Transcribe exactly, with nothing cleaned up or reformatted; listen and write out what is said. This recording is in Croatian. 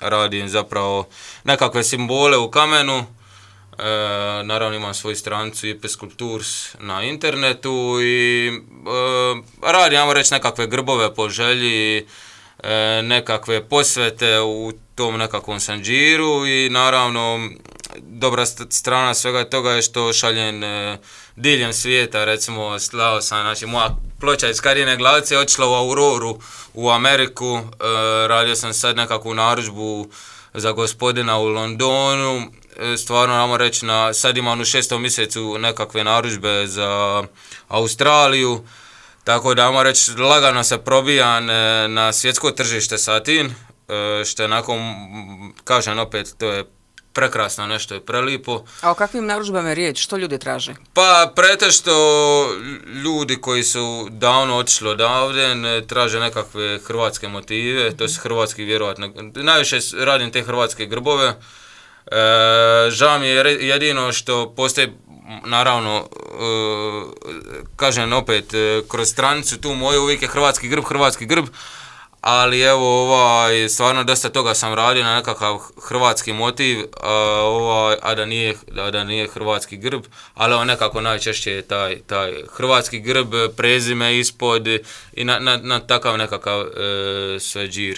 radim zapravo nekakve simbole u kamenu. E, naravno imam svoju stranicu I P Sculptures na internetu i e, radim, ajmo reći, nekakve grbove po želji, e, nekakve posvete u tom nekakvom sanđiru i naravno dobra strana svega toga je što šaljem e, diljem svijeta, recimo slao sam, znači moja ploča iz Karine Glavice je otišla u Auroru u Ameriku, e, radio sam sad nekakvu narudžbu za gospodina u Londonu, e, stvarno namo reći, na, sad imam u šestom mjesecu nekakve narudžbe za Australiju, tako da namo reći lagano se probijam e, na svjetsko tržište sa tim, e, što je nakon, kažem opet, to je prekrasno, nešto je prelipo. A o kakvim narudžbama je riječ? Što ljudi traže? Pa pretešto ljudi koji su davno otišli odavde ne traže nekakve hrvatske motive, mm-hmm. to su hrvatski vjerovatno. Najviše radim te hrvatske grbove. E, žao mi je jedino što postoji, naravno, e, kažem opet, e, kroz stranicu tu moju uvijek je hrvatski grb, hrvatski grb, ali evo, ovaj, stvarno dosta toga sam radio na nekakav hrvatski motiv, a, ovaj, a, da, nije, a da nije hrvatski grb, ali evo, nekako najčešće je taj, taj hrvatski grb, prezime ispod i na, na, na takav nekakav e, sve džir.